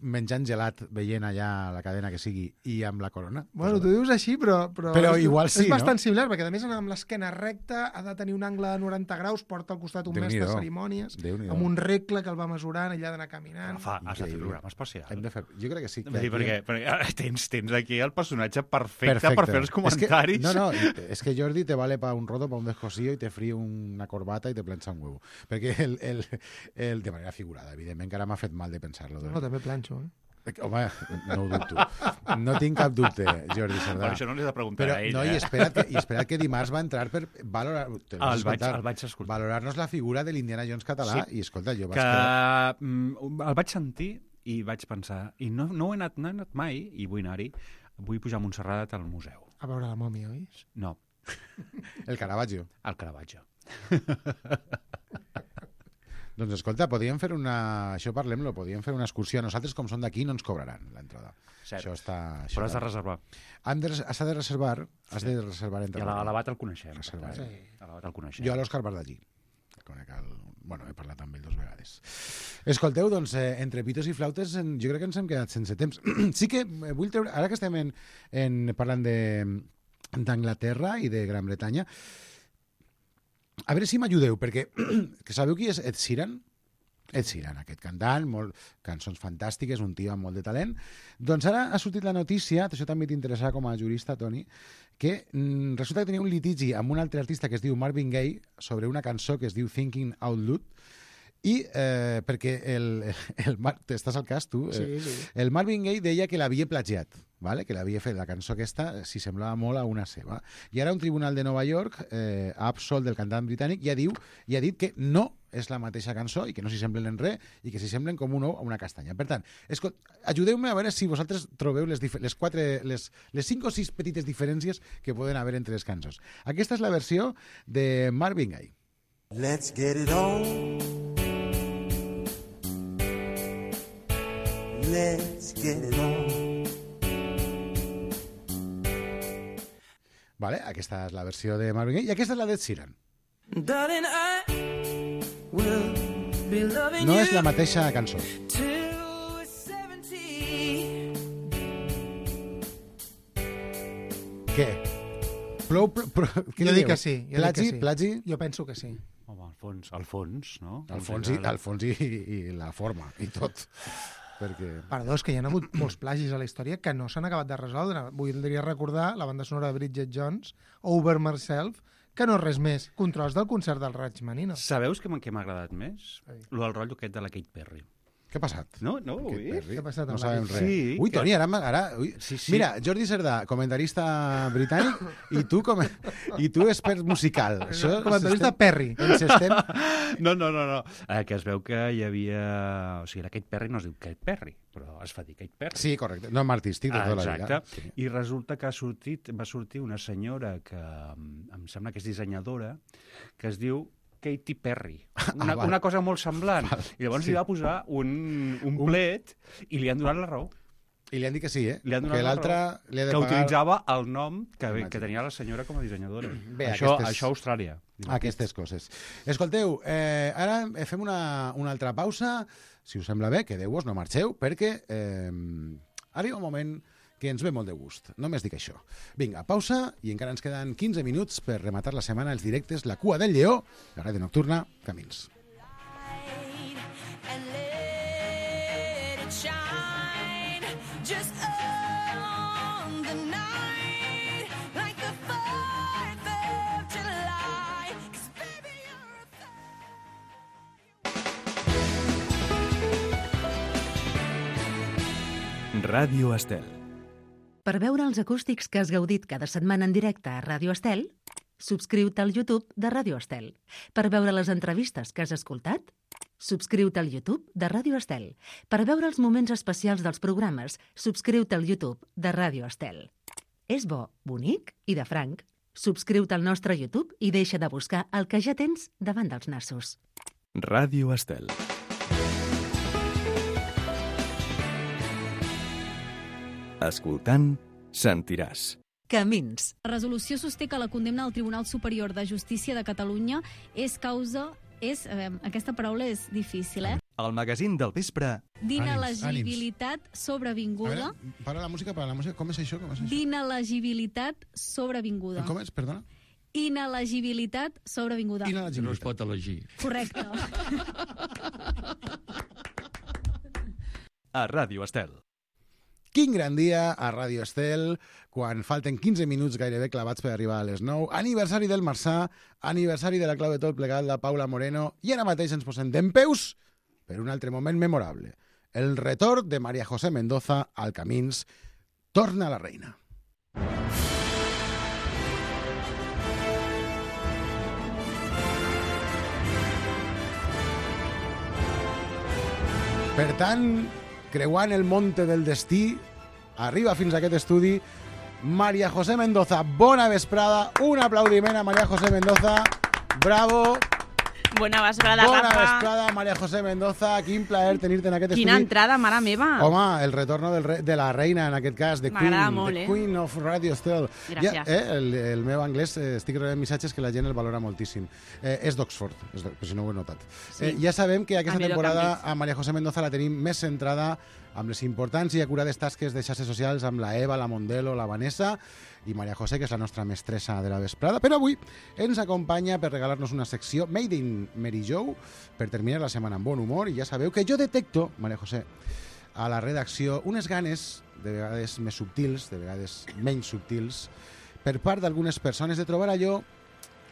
menjant gelat veient allà la cadena que sigui i amb la corona. Bueno, tu dius així, però... Però, però és, igual sí, és bastant no? similar, perquè a més amb l'esquena recta ha de tenir un angle de noranta graus, porta al costat un mestre de cerimònies, amb un regle que el va mesurant, ella ha d'anar caminant... Fa, has de fer un programa especial. Hem de fer... Jo crec que sí. Que dir, perquè, perquè tens, tens aquí el personatge perfecte, perfecte. per fer els comentaris. És que, no, no, és que Jordi te vale pa un rodo, pa un descosillo i te frío una corbata i te planxa un huevo. Perquè el, el, el, de manera figurada, evidentment, que ara m'ha fet mal de pensar-lo. No, també planxo, eh? Home, no ho dubto. No tinc cap dubte, Jordi Cerdà. Per això no li he de preguntar Però, a ell, no, eh? i espera't que, i espera't que dimarts va entrar per valorar... El vaig, el vaig escoltar. Valorar-nos la figura de l'Indiana Jones català. Sí. I escolta, jo vaig que quedar... mm, el vaig sentir i vaig pensar, i no, no, he anat, no he anat mai, i vull anar-hi, vull pujar a Montserrat al museu. A veure la mòmia, oi? No. El Caravaggio. El Caravaggio. Doncs escolta, podríem fer una... Això parlem-lo, podríem fer una excursió. Nosaltres, com som d'aquí, no ens cobraran l'entrada. Cert. Això està... Això Però has de reservar. Hem de, has de reservar, has de reservar entre... I a l'Abat el coneixem. Reservar. Sí. A l'Abat el coneixem. Jo a l'Òscar Bardagí. Conec el... Bueno, he parlat amb ell dues vegades. Escolteu, doncs, eh, entre pitos i flautes, en, jo crec que ens hem quedat sense temps. Sí que eh, vull treure... Ara que estem en, en, parlant de d'Anglaterra i de Gran Bretanya, a veure si m'ajudeu, perquè que sabeu qui és Ed Sheeran? Ed Sheeran, aquest cantant, molt, cançons fantàstiques, un tio amb molt de talent. Doncs ara ha sortit la notícia, això també t'interessarà com a jurista, Toni, que mm, resulta que tenia un litigi amb un altre artista que es diu Marvin Gaye sobre una cançó que es diu Thinking Out Loud, i eh, perquè el, el Mar... estàs al cas, tu? Sí, sí. El Marvin Gaye deia que l'havia plagiat, vale? Que l'havia fet la cançó aquesta, si semblava molt a una seva. I ara un tribunal de Nova York eh, ha absolt del cantant britànic i ha, diu, i ha dit que no és la mateixa cançó i que no s'hi semblen en res i que s'hi semblen com un ou a una castanya. Per tant, ajudeu-me a veure si vosaltres trobeu les, les, quatre, les, les cinc o sis petites diferències que poden haver entre les cançons. Aquesta és la versió de Marvin Gaye. Let's get it on. Let's get it on. Vale, aquesta és la versió de Marvin Gaye i aquesta és la d'Ed Sheeran. Darling, I will be loving No és la mateixa cançó. till we're seventy. Què? Plou, plou, plou, què Jo dieu? dic que sí. Jo Plagi, dic que sí. plagi? Jo penso que sí. Home, al fons, al fons, no? Al fons, i, al fons i, i la forma, i tot. Perquè... Perdó, és que hi ha hagut molts plagis a la història que no s'han acabat de resoldre. Voldria recordar la banda sonora de Bridget Jones, Over Myself, que no és res més que un tros del concert del Rachmaninoff. Sabeu què m'ha agradat més? Lo del rotllo aquest de la Kate Perry. Què ha passat? No, no, ho Kate he Perry? Què ha passat No amb sabem la res. Sí, ui, que- Toni, ara... ara ui. Sí, sí. Mira, Jordi Cerdà, comentarista britànic, i tu, com... i tu expert musical. Això Comentarista s'estem- Perry. Ens estem... No, no, no, no. Eh, que es veu que hi havia... O sigui, la Kate Perry no es diu Kate Perry, però es fa dir Kate Perry. Sí, correcte. No, amb artístic de Ah, tota la vida. exacte. I resulta que ha sortit, va sortir una senyora que mm, em sembla que és dissenyadora, que es diu Katy Perry. Una, val. una cosa molt semblant. Val, I llavors sí. li va posar un, un plet i li han donat la raó. I li han dit que sí, eh? Li han donat Que la l'altre raó. li ha de Que pagar... utilitzava el nom que, Imagina. que tenia la senyora com a dissenyadora. Bé, això, aquestes- això a Austràlia. Aquestes coses. Escolteu, eh, ara fem una, una altra pausa. Si us sembla bé, quedeu-vos, no marxeu, perquè eh, arriba un moment que ens ve molt de gust. Només dic això. Vinga, pausa, i encara ens queden quinze minuts per rematar la setmana els directes La Cua del Lleó, la ràdio nocturna, Camins. And let it shine just on the night like the fourth of July. 'Cause baby, you're a Ràdio Estel. Per veure els acústics que has gaudit cada setmana en directe a Ràdio Estel, subscriu-te al YouTube de Ràdio Estel. Per veure les entrevistes que has escoltat, subscriu-te al YouTube de Ràdio Estel. Per veure els moments especials dels programes, subscriu-te al YouTube de Ràdio Estel. És bo, bonic i de franc. Subscriu-te al nostre YouTube i deixa de buscar el que ja tens davant dels nassos. Ràdio Estel. Escoltant, sentiràs. Camins. La resolució sosté que la condemna del Tribunal Superior de Justícia de Catalunya és causa... És, eh, aquesta paraula és difícil, eh? El magazín del vespre. D'inelegibilitat A sobrevinguda. veure, para la música, para la música. Com és això? Com és això? D'inelegibilitat sobrevinguda. Com és? Perdona? Inelegibilitat sobrevinguda. Inelegibilitat. No es pot elegir. Correcte. A Ràdio Estel. Quin gran dia a Ràdio Estel, quan falten quinze minuts gairebé clavats per arribar a les nou. Aniversari del Marçà, aniversari de la clau de tot plegat, la Paula Moreno, i ara mateix ens posem dempeus per un altre moment memorable. el retorn de María José Mendoza al Camins torna la reina. Per tant, creuant el monte del destí, arriba fins a aquest estudi María José Mendoza. Bona vesprada, un aplaudiment a María José Mendoza. Bravo. Bona vesprada, Bona Rafa. vesprada, María José Mendoza. Quin plaer tenir-te en aquest Quina estudi. entrada, mare meva. Home, el retorno del re de la reina, en aquest cas, de Queen, M'agrada molt, the eh? Queen of Radio Estel. Gràcies. Ja, eh, el, el meu anglès, eh, estic rebent missatges que la gent el valora moltíssim. Eh, és d'Oxford, és de, per si no ho he notat. Sí. Eh, ja sabem que aquesta A mi lo temporada canvis. a María José Mendoza la tenim més centrada amb les importants i acurades tasques de xarxes socials amb la Eva, la Mondelo, la Vanessa i María José, que és la nostra mestressa de la vesprada. Però avui ens acompanya per regalar-nos una secció Made in Mary Jo per terminar la setmana amb bon humor. I ja sabeu que jo detecto, María José, a la redacció unes ganes, de vegades més subtils, de vegades menys subtils, per part d'algunes persones de trobar allò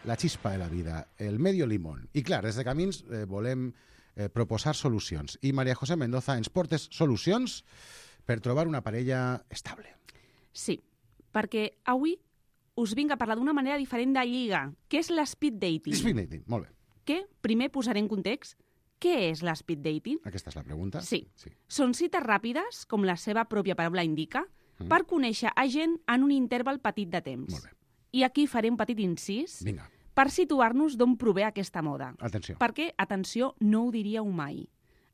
la xispa de la vida, el medio limón. I clar, des de Camins eh, volem eh, proposar solucions. I María José Mendoza ens portes solucions per trobar una parella estable. Sí, perquè avui us vinc a parlar d'una manera diferent de lliga, que és l'speed dating. Speed dating, molt bé. Que, primer posaré en context, què és l'speed dating? Aquesta és la pregunta. Sí. sí. Són cites ràpides, com la seva pròpia paraula indica, Mm. per conèixer a gent en un interval petit de temps. Molt bé. I aquí faré un petit incís Vinga, per situar-nos d'on prové aquesta moda. atenció. Perquè, atenció, no ho diríeu mai.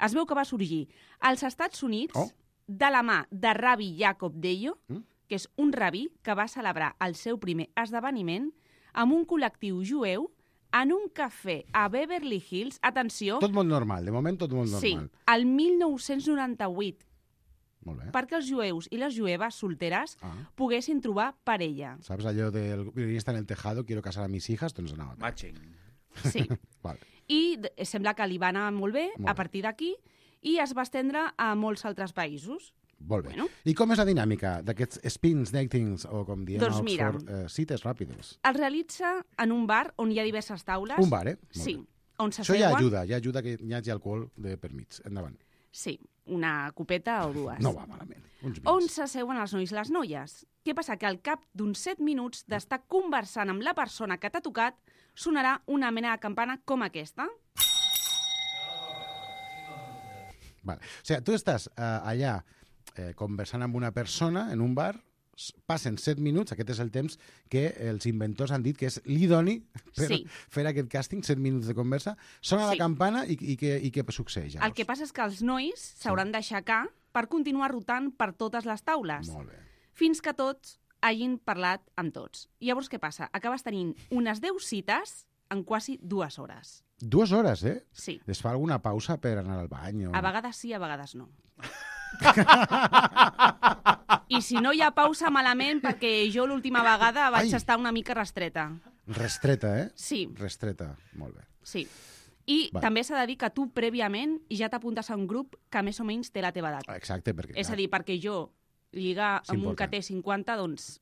Es veu que va sorgir als Estats Units Oh. de la mà de Rabbi Jacob Deyo, Mm. que és un rabí que va celebrar el seu primer esdeveniment amb un col·lectiu jueu en un cafè a Beverly Hills. Atenció, Tot molt normal, de moment tot molt sí, normal. el mil nou-cents noranta-vuit, Molt bé. perquè els jueus i les jueves solteres Ah. poguessin trobar parella. Saps allò del violinista en el tejado, quiero casar a mis hijas? Doncs anava. Matching. Sí. Vale. I d- sembla que li va anar molt bé Molt a bé. partir d'aquí i es va estendre a molts altres països. Molt bé. Bueno. I com és la dinàmica d'aquests spins, datings, o com diem Doncs a mira. Oxford, eh, cites ràpides? Es realitza en un bar on hi ha diverses taules. Un bar, eh? Molt Sí, bé. on Això s'asseuen... ja ajuda, ja ajuda que hi hagi alcohol de per mig. Endavant. Sí, una copeta o dues. No va malament. Uns vins. On s'asseuen els nois i les noies. Què passa? Que al cap d'uns set minuts d'estar conversant amb la persona que t'ha tocat, sonarà una mena de campana com aquesta. Vale. O sigui, tu estàs eh, allà eh, conversant amb una persona en un bar, s- passen set minuts, aquest és el temps que els inventors han dit que és l'idoni per Sí. fer aquest càsting, set minuts de conversa, sona Sí. la campana i, i, què, i què succeeix? El que passa és que els nois s'hauran d'aixecar per continuar rotant per totes les taules. Molt bé. Fins que tots hagin parlat amb tots. Llavors, què passa? Acabes tenint unes deu cites en quasi dues hores. Dues hores, eh? Sí. Es fa alguna pausa per anar al bany? O... A vegades sí, a vegades no. I si no hi ha pausa, malament, perquè jo l'última vegada vaig Ai. estar una mica restreta. Restreta, eh? Sí. Restreta, molt bé. Sí. I Va. també s'ha de dir que tu prèviament ja t'apuntes a un grup que més o menys té la teva edat. Exacte, perquè... És a clar, dir, perquè jo lligar És amb un que important. té cinquanta, doncs...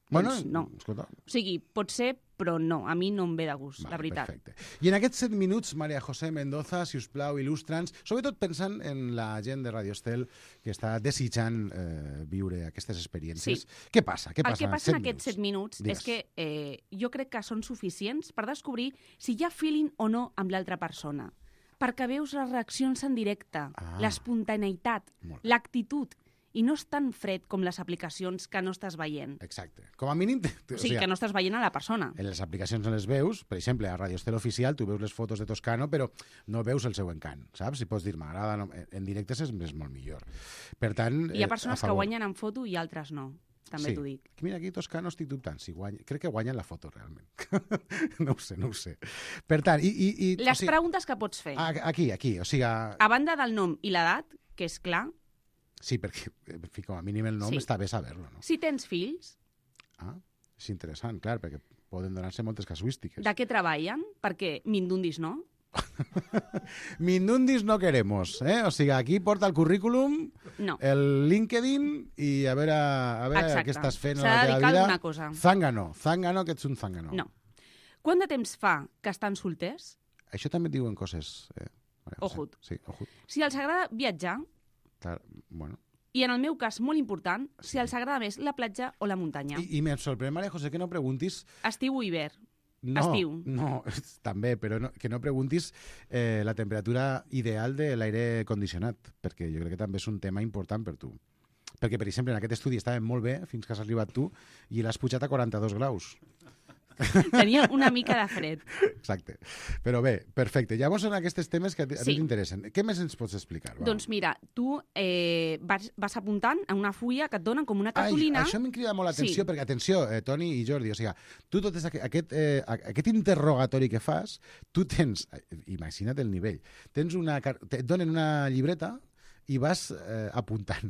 Bueno, doncs no. escolta, O sigui, pot ser, però no. A mi no em ve de gust, Vale, la veritat. Perfecte. I en aquests set minuts, María José Mendoza, si us plau, il·lustra'ns, sobretot pensant en la gent de Radio Estel que està desitjant eh, viure aquestes experiències. Sí. Què passa? Què El passa que passa en set aquests set minuts Digues. és que eh, jo crec que són suficients per descobrir si hi ha feeling o no amb l'altra persona. Perquè veus les reaccions en directe, Ah. l'espontaneïtat, Molt bé. l'actitud, i no és tan fred com les aplicacions que no estàs veient. Exacte. Com a mínim... O sigui, que no estàs veient a la persona. En les aplicacions no les veus, per exemple, a Radio Estel Oficial tu veus les fotos de Toscano, però no veus el seu encant, saps? Si pots dir, m'agrada, no... en directe és, és molt millor. Per tant... Hi ha eh, persones a que favor. guanyen en foto i altres no. També sí. t'ho dic. Mira, aquí Toscano estic dubtant. Si guanya... Crec que guanyen la foto, realment. no ho sé, no ho sé. Per tant, i... i, i Les o sigui, preguntes que pots fer. a- Aquí, aquí, o sigui... A... A banda del nom i l'edat, que és clar, Sí, perquè, en fi, com a mínim el nom Sí. està bé saber-lo, no? si tens fills, Ah, és interessant, clar, perquè poden donar-se moltes casuístiques. de què treballen? Perquè mindundis no. Mindundis no queremos, eh? O sigui, aquí porta el currículum, No. el LinkedIn i a veure, a veure Exacte. què estàs fent a S'ha la de teva dedicar a vida. alguna cosa. Zángano, zángano, que ets un zángano. No. Quant de temps fa que estan solters? Això també et diuen coses... Eh? Maria José. Ojut. Sí, ojut. Si els agrada viatjar, Està... Bueno... I en el meu cas, molt important, si els agrada més la platja o la muntanya. I, i em sorprèn, Maria José, que no preguntis... Estiu o hivern? No, Estiu. no, també, però no, que no preguntis eh, la temperatura ideal de l'aire condicionat, perquè jo crec que també és un tema important per tu. Perquè, per exemple, en aquest estudi estava molt bé fins que has arribat tu i l'has pujat a quaranta-dos graus. Tenia una mica de fred. Exacte. Però bé, perfecte. Llavors són aquests temes que a ti Sí. t'interessen. Què més ens pots explicar? Va. Doncs mira, tu eh, vas, vas apuntant en una fulla que et donen com una cartolina. Ai, això m'ha cridat molt l'atenció, Sí. perquè, atenció, eh, Toni i Jordi, o sigui, tu tot aquest, aquest, eh, aquest interrogatori que fas, tu tens, eh, imagina't el nivell, tens una, car- et donen una llibreta i vas eh, apuntant.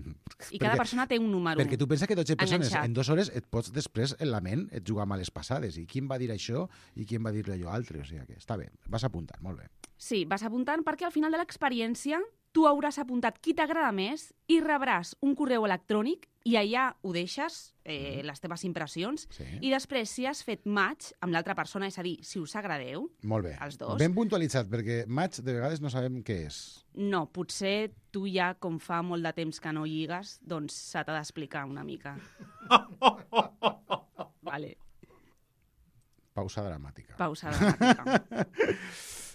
I cada persona té un número. Perquè tu penses que dotze persones enganxat. en dues hores et pots després en la ment et jugar males passades. I qui em va dir això i qui em va dir allò altre. O sigui que està bé, vas apuntant, molt bé. Sí, vas apuntant perquè al final de l'experiència tu hauràs apuntat qui t'agrada més i rebràs un correu electrònic i allà ho deixes, eh, les teves impressions, Sí. i després si has fet match amb l'altra persona, és a dir, si us agradeu, Molt bé. els dos, Ben puntualitzat, perquè maig de vegades no sabem què és. no, potser tu ja, com fa molt de temps que no lligues, doncs se t'ha d'explicar una mica. Vale. Pausa dramàtica. Pausa dramàtica.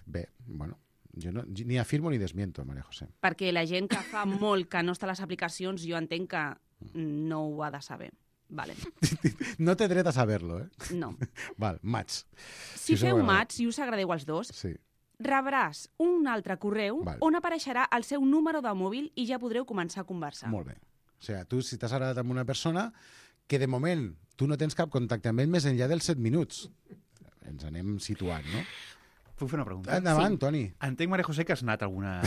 Bé, bueno, jo no, ni afirmo ni desmiento, Maria José. Perquè la gent que fa molt que no està a les aplicacions, jo entenc que no ho ha de saber. Vale. No té dret a saber-lo, eh? No. Val, maig. Si us feu agrada. match, si us agradeu els dos, Sí. rebràs un altre correu Val. on apareixerà el seu número de mòbil i ja podreu començar a conversar. Molt bé. O sigui, tu, si t'has agradat amb una persona que de moment tu no tens cap contacte amb ell més enllà dels set minuts. Ens anem situant, no? Puc fer una pregunta? Endavant, sí. Toni. Entenc, Maria José, que has anat alguna...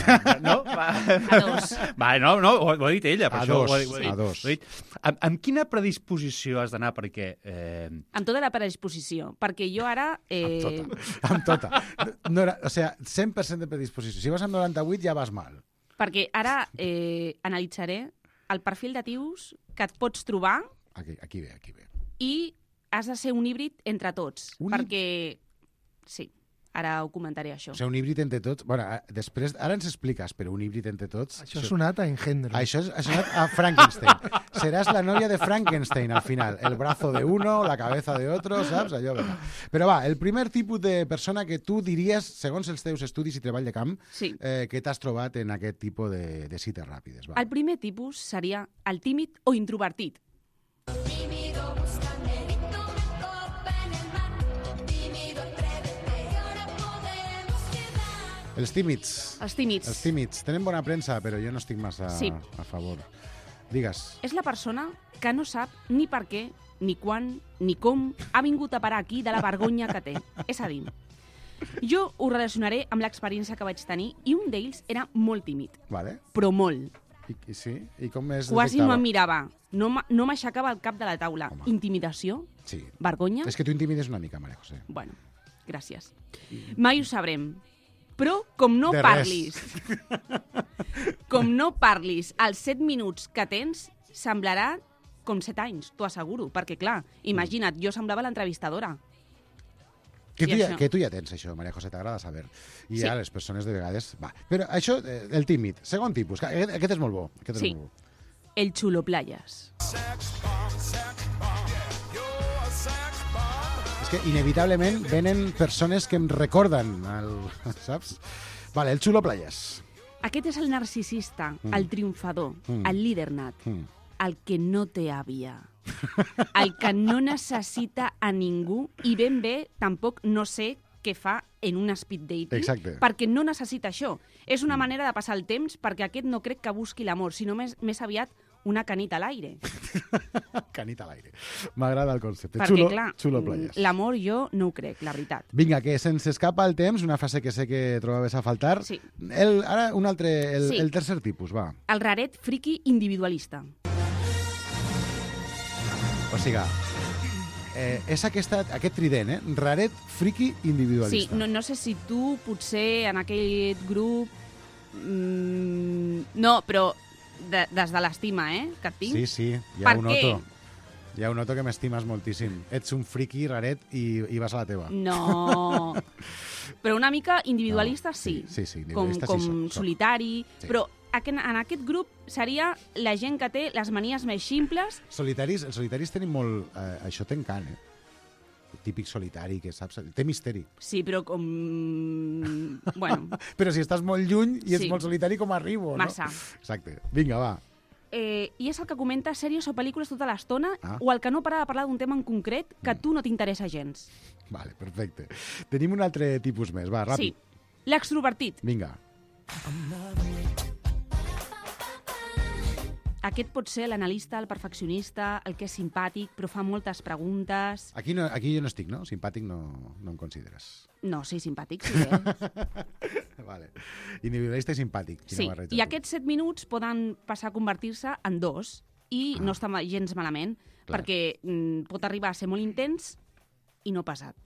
No? Va. A dos. Va, no, no, ho, ho ha dit ella, per A això. dos, ho ha, ho ha dit, a dos. ho ha dit. Amb, amb quina predisposició has d'anar? Perquè... Eh... Amb tota la predisposició, perquè jo ara... Eh... Amb tota. No era, o sigui, cent per cent de predisposició. Si vas amb noranta-vuit ja vas mal. Perquè ara eh, analitzaré el perfil de tios que et pots trobar Aquí, aquí ve, aquí ve. i has de ser un híbrid entre tots. Un hí- perquè... Sí, ara ho comentaré, això. O sigui, un híbrid entre tots... Bueno, a- després, ara ens expliques, però un híbrid entre tots... Això ha sonat a Engendro. Això ha sonat a Frankenstein. Seràs la novia de Frankenstein, al final. El brazo de uno, la cabeza de otro, saps? Allò, vinga. Però va, el primer tipus de persona que tu diries, segons els teus estudis i treball de camp, Sí. eh, que t'has trobat en aquest tipus de, de cites ràpides. Va. El primer tipus seria el tímid o introvertit. Tímido, buscanerito, me copa en el mar. Tímido, atrévete, y ahora podemos quedar. Els tímids. Els tímids. Els tímids. Tenen bona premsa, però jo no estic massa Sí. a favor. Digues. És la persona que no sap ni per què, ni quan, ni com ha vingut a parar aquí de la vergonya que té. És a dir, jo ho relacionaré amb l'experiència que vaig tenir i un d'ells era molt tímid, Vale. però molt. I, i sí? I com es Quasi no detectava? em mirava, no m'ha- no m'aixecava el cap de la taula. Intimidació? Sí. Vergonya? És que tu intimides una mica, Maria José. Bueno, gràcies. Mai ho sabrem. Però com no De parlis, com no parlis els set minuts que tens, semblarà com set anys, t'ho asseguro. Perquè, clar, imagina't, jo semblava l'entrevistadora. Que I tu, ja, això. que tu ja tens això, Maria José, t'agrada saber. I Sí. a les persones de vegades... Va. Però això, eh, el tímid, segon tipus, que aquest, aquest és molt bo. Aquest Sí. és molt bo. El xulo playas. És que inevitablement venen persones que em recorden, el, saps? Vale, el xulo playas. Aquest és el narcisista, Mm. el triomfador, Mm. el líder nat, Mm. el que no té àvia, el que no necessita a ningú i ben bé tampoc no sé què fa en un speed dating, Exacte. perquè no necessita això. És una manera de passar el temps perquè aquest no crec que busqui l'amor, sinó més, més aviat una canita a l'aire. Canita a l'aire. M'agrada el concepte. Perquè, Xulo, clar, xulo playas. l'amor jo no ho crec, la veritat. Vinga, que se'ns escapa el temps, una frase que sé que trobaves a faltar. Sí. El, ara un altre, el, Sí. el tercer tipus, va. El raret friqui individualista. O sigui, eh, és aquesta, aquest trident, eh? Raret, friqui, Sí, individualista. no, no sé si tu potser en aquell grup... Mm, no, però de, des de l'estima, eh, que et tinc. Sí, sí, ja Per ho què? noto. Ja ho noto que m'estimes moltíssim. Ets un friqui, raret, i, i vas a la teva. No. Però una mica individualista, sí. Sí, sí, Com, individualista com sí soc, soc. solitari. Sí. Però aqu- en aquest grup seria la gent que té les manies més ximples. Solitaris, els solitaris tenim molt... Eh, això té encant, eh? El típic solitari que saps... Té misteri. Sí, però com... Bueno, Però si estàs molt lluny i ets Sí. molt solitari, com arribo, no? Massa. Exacte. Vinga, va. eh, i és el que comenta sèries o pel·lícules tota l'estona Ah. o el que no para de parlar d'un tema en concret que a tu no t'interessa gens. Vale, perfecte. Tenim un altre tipus més. Va, ràpid. Sí, l'extrovertit. Vinga. Aquest pot ser l'analista, el perfeccionista, el que és simpàtic, però fa moltes preguntes. Aquí, no, aquí jo no estic, no? Simpàtic no, no em consideres. No, sí, simpàtic, sí. Eh? Vale. Individualista i simpàtic. Quina Sí, barreja, i tu. aquests set minuts poden passar a convertir-se en dos i no està ma- gens malament, Clar. perquè mm, pot arribar a ser molt intens i no pesat.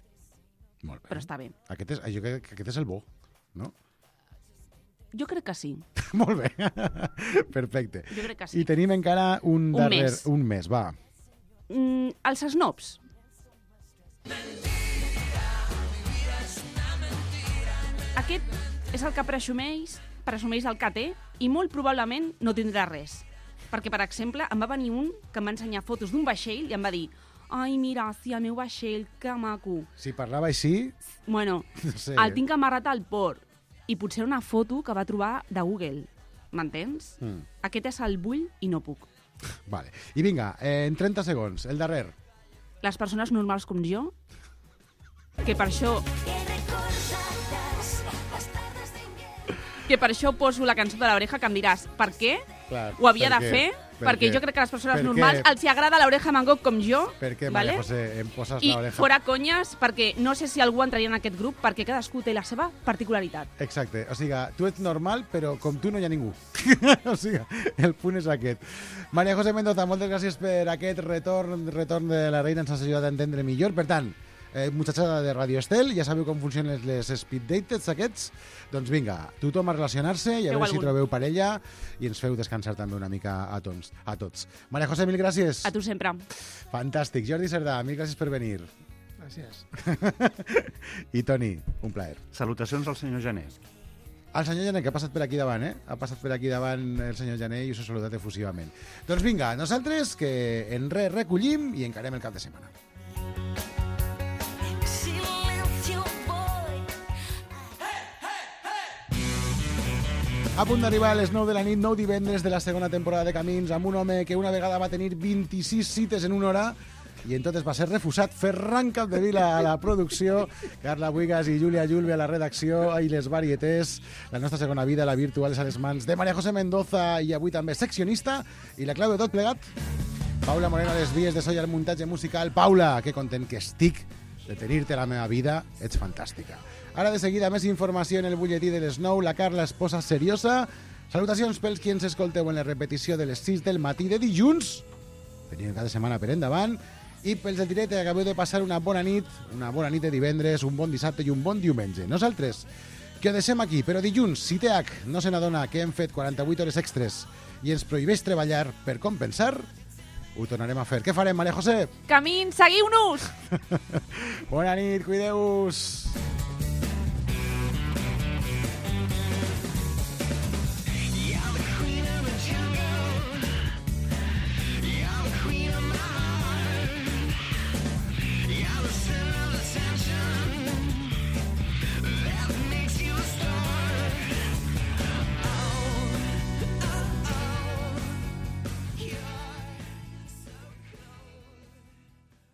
Molt bé. Però està bé. Aquest és, jo crec que aquest és el bo, no? Jo crec que sí. Molt bé. Perfecte. Jo crec que sí. I tenim encara un, Un darrer... més. Un mes, va. Mm, els snobs. Aquest és el que presumeix, presumeix el que té i molt probablement no tindrà res. Perquè, per exemple, em va venir un que em va ensenyar fotos d'un vaixell i em va dir «Ai, mira, sí, el meu vaixell, que maco». Si parlava així... Bueno, No sé. el tinc amarrat al port. I potser una foto que va trobar de Google. M'entens? Mm. Aquest és el vull i no puc. Vale. I vinga, eh, en trenta segons, el darrer. Les persones normals com jo, que per això que per això poso la cançó de l'oreja, que em diràs, per què? Clar, Ho havia per de què? fer? Per Perquè què? jo crec que a les persones Per normals què? els hi agrada l'oreja Van Gogh com jo. Per què, vale? Maria José, em poses I l'oreja? fora conyes, perquè no sé si algú entraria en aquest grup, perquè cadascú té la seva particularitat. Exacte, o sigui, tu ets normal, però com tu no hi ha ningú. O sigui, el punt és aquest. Maria José Mendoza, moltes gràcies per aquest retorn, retorn de la reina, ens has ajudat a entendre millor. Per tant, eh, muchachada de Radio Estel, ja sabeu com funcionen les speed dates aquests? Doncs vinga, tothom a relacionar-se i a Feu veure si algun. trobeu parella i ens feu descansar també una mica a tots. A tots. Maria José, mil gràcies. A tu sempre. Fantàstic. Jordi Cerdà, mil gràcies per venir. Gràcies. I Toni, un plaer. Salutacions al senyor Jané. El senyor Jané, que ha passat per aquí davant, eh? Ha passat per aquí davant el senyor Jané i us he saludat efusivament. Doncs vinga, nosaltres que en res recollim i encarem el cap de setmana. A punt d'arribar a les nou de la nit, nou divendres de la segona temporada de Camins, amb un home que una vegada va tenir vint-i-sis cites en una hora i en totes va ser refusat. Ferran Capdevila a la producció, Carla Buigas i Júlia Julve a la redacció i les varietés. La nostra segona vida, la virtual, és a les mans de Maria José Mendoza i avui també seccionista. I la clau de tot plegat, Paula Moreno a les vies de so i al muntatge musical. Paula, que content que estic de tenir-te a la meva vida, ets fantàstica. Ara de seguida més informació en el butlletí de les nou. La Carla es posa seriosa. Salutacions pels qui ens escolteu en la repetició de les sis del matí de dilluns. Tenim cada setmana per endavant. I pels del directe acabeu de passar una bona nit, una bona nit de divendres, un bon dissabte i un bon diumenge. Nosaltres, que ho deixem aquí, però dilluns, si T H no se n'adona que hem fet quaranta-vuit hores extres i ens prohibeix treballar per compensar, ho tornarem a fer. Què farem, Maria José? Camins, seguiu-nos! Bona nit, cuideu-vos!